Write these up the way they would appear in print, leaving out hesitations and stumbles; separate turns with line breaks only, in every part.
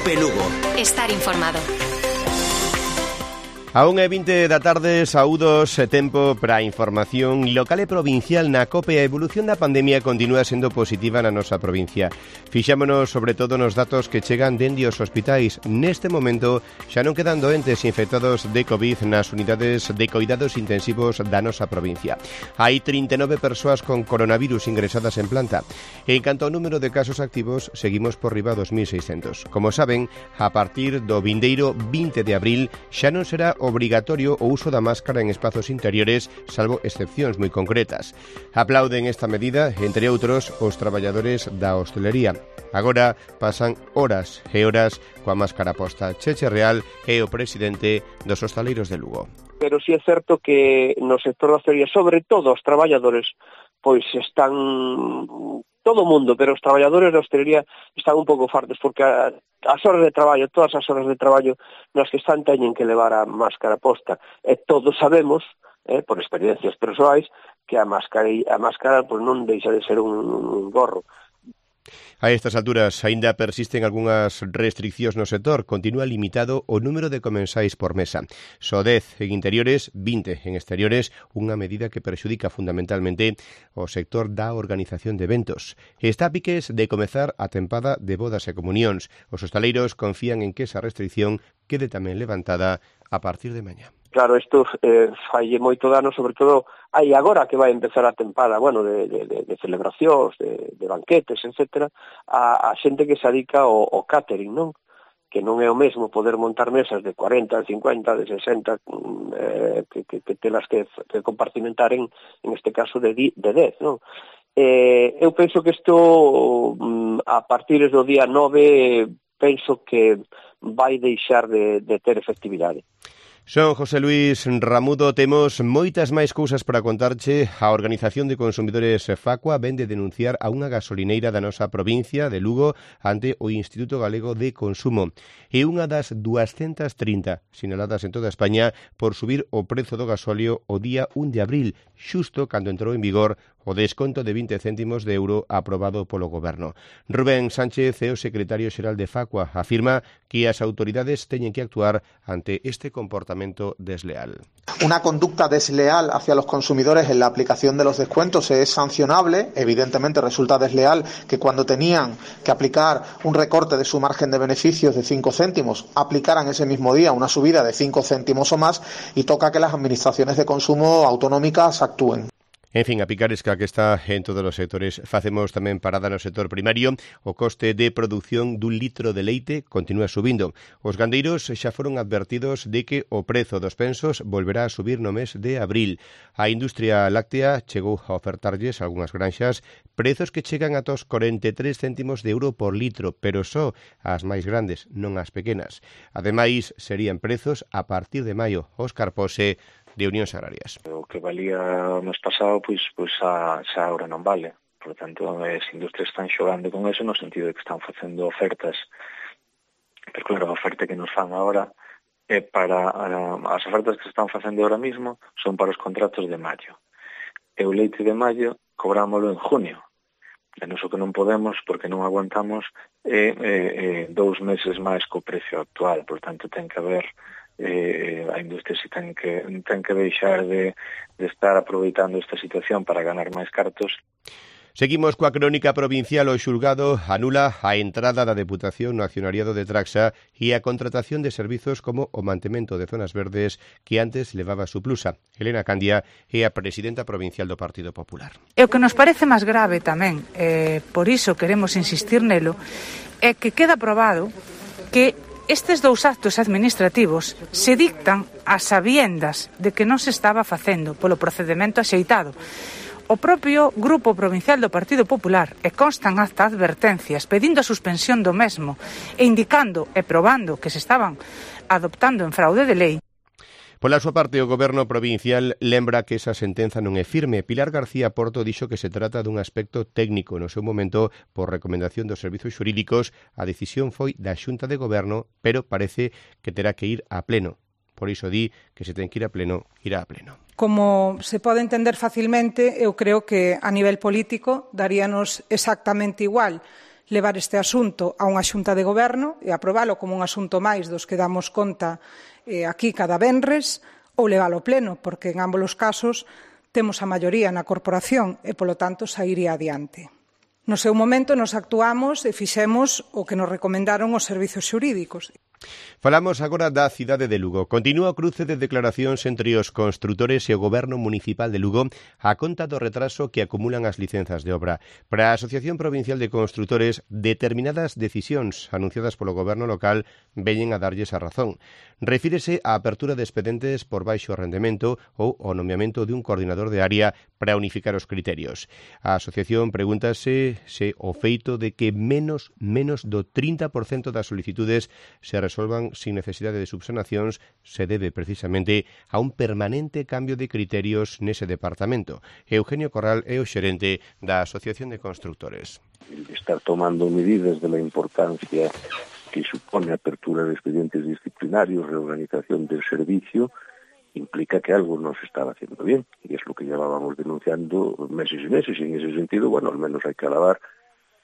COPE Lugo.
Estar informado.
A 1:20 da tarde, saúdos e tempo para a información local e provincial na COPE. A evolución da pandemia continúa sendo positiva na nosa provincia. Fixámonos sobre todo nos datos que chegan dende os hospitais. Neste momento xa non quedan doentes infectados de COVID nas unidades de coidados intensivos da nosa provincia. Hai 39 persoas con coronavirus ingresadas en planta. En canto ao número de casos activos, seguimos por riba 2.600. Como saben, a partir do vindeiro 20 de abril xa non será obrigatorio o uso da máscara en espazos interiores, salvo excepcións moi concretas. Aplauden esta medida, entre outros, os traballadores da hostelería. Agora pasan horas e horas coa máscara posta. Cheche Real é o presidente dos hostaleiros de Lugo.
Pero si é certo que no sector da hostelería, sobre todo os traballadores, pois están todo o mundo, pero os traballadores da hostelería están un pouco fartos porque as horas de traballo, todas as horas de traballo nas que están teñen que levar a máscara posta. E todos sabemos, por experiencias persoais, que a máscara pois non deixa de ser un gorro.
A estas alturas, aínda persisten algunhas restriccións no sector. Continúa limitado o número de comensais por mesa. Só 10 en interiores, 20 en exteriores, unha medida que perxudica fundamentalmente o sector da organización de eventos. Está a piques de comezar a tempada de bodas e comunións. Os hostaleiros confían en que esa restricción quede tamén levantada a partir de mañá.
Claro, isto falle moito dano, sobre todo aí agora que vai empezar a tempada, de celebracións, de banquetes, etcétera, a xente que se dedica ao catering, non? Que non é o mesmo poder montar mesas de 40, de 50, de 60, que telas que compartimentar en este caso de 10, non? Eu penso que isto, a partir do día 9, penso que vai deixar de ter efectividade.
Son José Luis Ramudo. Temos moitas máis cousas para contarche. A Organización de Consumidores Facua vén de denunciar a unha gasolineira da nosa provincia de Lugo ante o Instituto Galego de Consumo. É unha das 230 sinaladas en toda España por subir o prezo do gasóleo o día 1 de abril, xusto cando entrou en vigor o desconto de 20 céntimos de euro aprobado polo Goberno. Rubén Sánchez é o secretario xeral de Facua. Afirma que as autoridades teñen que actuar ante este comportamento desleal.
Una conducta desleal hacia los consumidores en la aplicación de los descuentos es sancionable. Evidentemente resulta desleal que cuando tenían que aplicar un recorte de su margen de beneficios de 5 céntimos, aplicaran ese mismo día una subida de 5 céntimos o más, y toca que las administraciones de consumo autonómicas actúen.
En fin, a picaresca que está en todos os sectores. Facemos tamén parada no sector primario. O coste de produción dun litro de leite continúa subindo. Os gandeiros xa foron advertidos de que o prezo dos pensos volverá a subir no mes de abril. A industria láctea chegou a ofertarlles a algunhas granxas prezos que chegan ata os 43 céntimos de euro por litro, pero só as máis grandes, non as pequenas. Ademais, serían prezos a partir de maio. Óscar Pose, de Unións Agrarias.
O que valía o mes pasado, pois xa agora non vale. Por tanto, as industrias están xogando con eso no sentido de que están facendo ofertas. Pero claro, a oferta que nos fan agora é para as ofertas que se están facendo ahora mismo son para os contratos de maio. E o leite de maio cobrámoslo en junio. E nos o que non podemos, porque non aguantamos, 2 meses máis co precio actual. Por tanto, ten que haber a industria se ten que deixar de estar aproveitando esta situación para ganar máis cartos.
Seguimos coa crónica provincial. O xulgado anula a entrada da Deputación no accionariado de Traxa e a contratación de servizos como o mantemento de zonas verdes que antes levaba a Suplusa. Elena Candia é a presidenta provincial do Partido Popular.
E o que nos parece máis grave tamén, por iso queremos insistir nelo, é que queda probado que estes 2 actos administrativos se dictan a sabiendas de que non se estaba facendo polo procedimento axeitado. O propio Grupo Provincial do Partido Popular e constan hasta advertencias pedindo a suspensión do mesmo e indicando e probando que se estaban adoptando en fraude de lei.
Pola súa parte, o Goberno provincial lembra que esa sentenza non é firme. Pilar García Porto dixo que se trata dun aspecto técnico. No seu momento, por recomendación dos servizos xurídicos, a decisión foi da Xunta de Goberno, pero parece que terá que ir a pleno. Por iso di que se ten que ir a pleno, irá a pleno.
Como se pode entender facilmente, eu creo que a nivel político daríanos exactamente igual. levar este asunto a unha xunta de goberno e aprobalo como un asunto máis dos que damos conta aquí cada venres, ou levalo ao pleno, porque en ambos os casos temos a maioría na corporación e, polo tanto, sairía adiante. No seu momento nos actuamos e fixemos o que nos recomendaron os servizos xurídicos.
Falamos agora da cidade de Lugo. Continúa o cruce de declaracións entre os construtores e o Goberno Municipal de Lugo a conta do retraso que acumulan as licenzas de obra. Para a Asociación Provincial de Construtores, determinadas decisións anunciadas polo Goberno local veñen a darlles a razón. Refírese á apertura de expedientes por baixo rendemento ou ao nomeamento de un coordinador de área para unificar os criterios. A asociación pregúntase se o feito de que menos do 30% das solicitudes se resolvan sin necesidade de subsanacións se debe precisamente a un permanente cambio de criterios nese departamento. Eugenio Corral é o xerente da Asociación de Constructores.
Estar tomando medidas de la importancia que supone a apertura de expedientes disciplinarios, reorganización del servicio, implica que algo no se estaba haciendo bien, y es lo que llevábamos denunciando meses y meses, y en ese sentido, bueno, al menos hay que alabar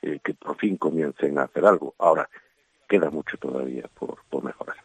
que por fin comiencen a hacer algo. Ahora, queda mucho todavía por mejorar.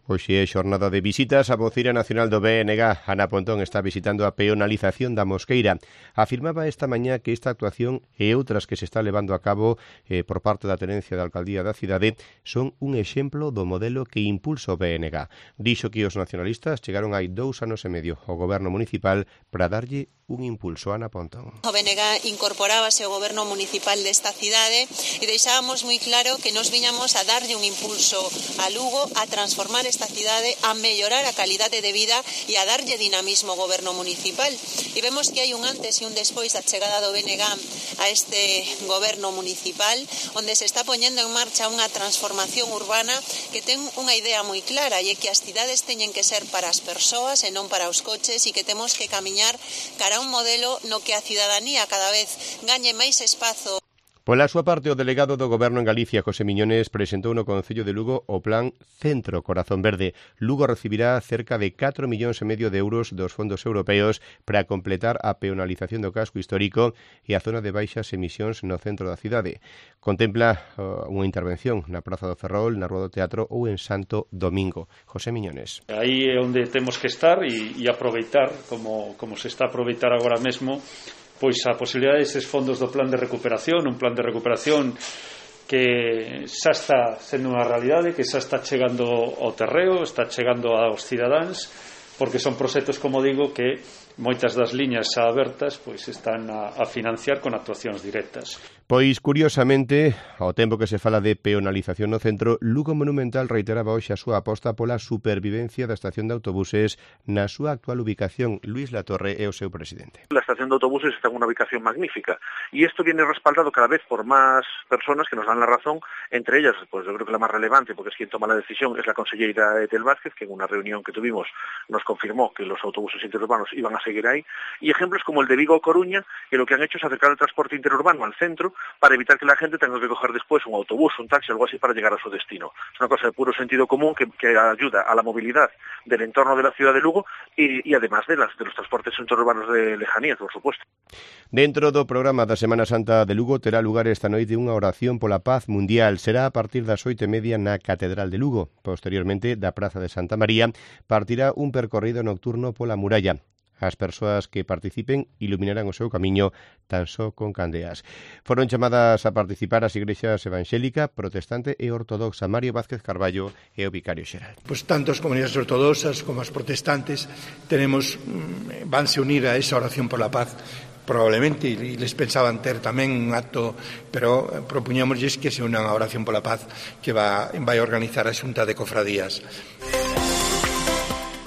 Hoxe é xornada de visitas. A voceira nacional do BNG, Ana Pontón, está visitando a peonalización da Mosqueira. Afirmaba esta mañá que esta actuación e outras que se está levando a cabo por parte da tenencia da alcaldía da cidade son un exemplo do modelo que impulsa o BNG. Dixo que os nacionalistas chegaron hai 2 anos e medio ao goberno municipal para darlle un impulso. Ana Pontón.
O BNG incorporábase ao goberno municipal desta cidade e deixábamos moi claro que nos viñamos a darlle un impulso a Lugo, a transformar esta cidade, a mellorar a calidade de vida e a darlle dinamismo ao goberno municipal. E vemos que hai un antes e un despois da chegada do BNG a este goberno municipal, onde se está poñendo en marcha unha transformación urbana que ten unha idea moi clara, e é que as cidades teñen que ser para as persoas e non para os coches, e que temos que camiñar cara a un modelo no que a cidadanía cada vez gañe máis espazo.
Pola súa parte, o delegado do Goberno en Galicia, José Miñones, presentou no Concello de Lugo o plan Centro Corazón Verde. Lugo recibirá cerca de 4,5 millóns de euros dos fondos europeos para completar a peonalización do casco histórico e a zona de baixas emisións no centro da cidade. Contempla unha intervención na Praza do Ferrol, na Rúa do Teatro ou en Santo Domingo. José Miñones.
Aí é onde temos que estar e aproveitar, como se está a aproveitar agora mesmo, pois a posibilidade destes fondos do plan de recuperación, un plan de recuperación que xa está sendo unha realidade, que xa está chegando ao terreo, está chegando aos cidadáns, porque son proxectos, como digo, que moitas das liñas xa abertas pois están a financiar con actuacións directas.
Pois, curiosamente, ao tempo que se fala de peonalización no centro, Lugo Monumental reiteraba hoxe a súa aposta pola supervivencia da estación de autobuses na súa actual ubicación. Luis Latorre é o seu presidente.
La estación de autobuses está en una ubicación magnífica y esto viene respaldado cada vez por más personas que nos dan la razón, entre ellas, pues yo creo que la más relevante, porque es quien toma la decisión, es la consellera Etel Vázquez, que en una reunión que tuvimos nos confirmó que los autobuses interurbanos iban a seguir ahí, y ejemplos como el de Vigo o Coruña, que lo que han hecho es acercar el transporte interurbano al centro para evitar que la gente tenga que coger después un autobús, un taxi o algo así para llegar a su destino. Es una cosa de puro sentido común que ayuda a la movilidad del entorno de la ciudad de Lugo y además de los transportes interurbanos de lejanía, por supuesto.
Dentro do programa da Semana Santa de Lugo terá lugar esta noite unha oración pola paz mundial. Será a partir das 8:30 na Catedral de Lugo. Posteriormente, da Praza de Santa María, partirá un percorrido nocturno pola muralla. As persoas que participen iluminarán o seu camiño tan só con candeas. Foron chamadas a participar as igrexas evangélica, protestante e ortodoxa. Mario Vázquez Carballo é o vicario xeral.
Pues tanto as comunidades ortodoxas como as protestantes vanse unir a esa oración por la paz, probablemente, e les pensaban ter tamén un acto, pero propuñámosles que se unan a oración por la paz que vai organizar a Xunta de Cofradías.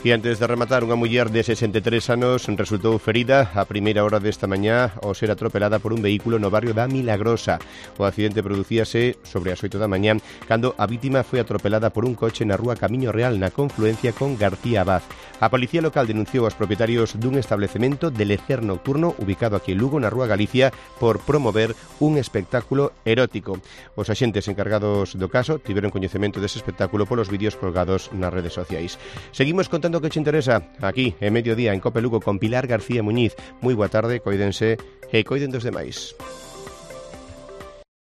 E antes de rematar, unha muller de 63 anos resultou ferida a primeira hora desta mañá ao ser atropelada por un vehículo no barrio da Milagrosa. O accidente producíase sobre as 8 da mañá cando a vítima foi atropelada por un coche na rúa Camiño Real na confluencia con García Abad. A policía local denunciou aos propietarios dun establecemento de lecer nocturno ubicado aquí en Lugo, na rúa Galicia, por promover un espectáculo erótico. Os axentes encargados do caso tiveron coñecemento dese espectáculo polos vídeos colgados nas redes sociais. Seguimos contando que che interesa aquí en Mediodía en Cope Lugo con Pilar García Muñiz. Moi boa tarde, coídense e coiden dos demais.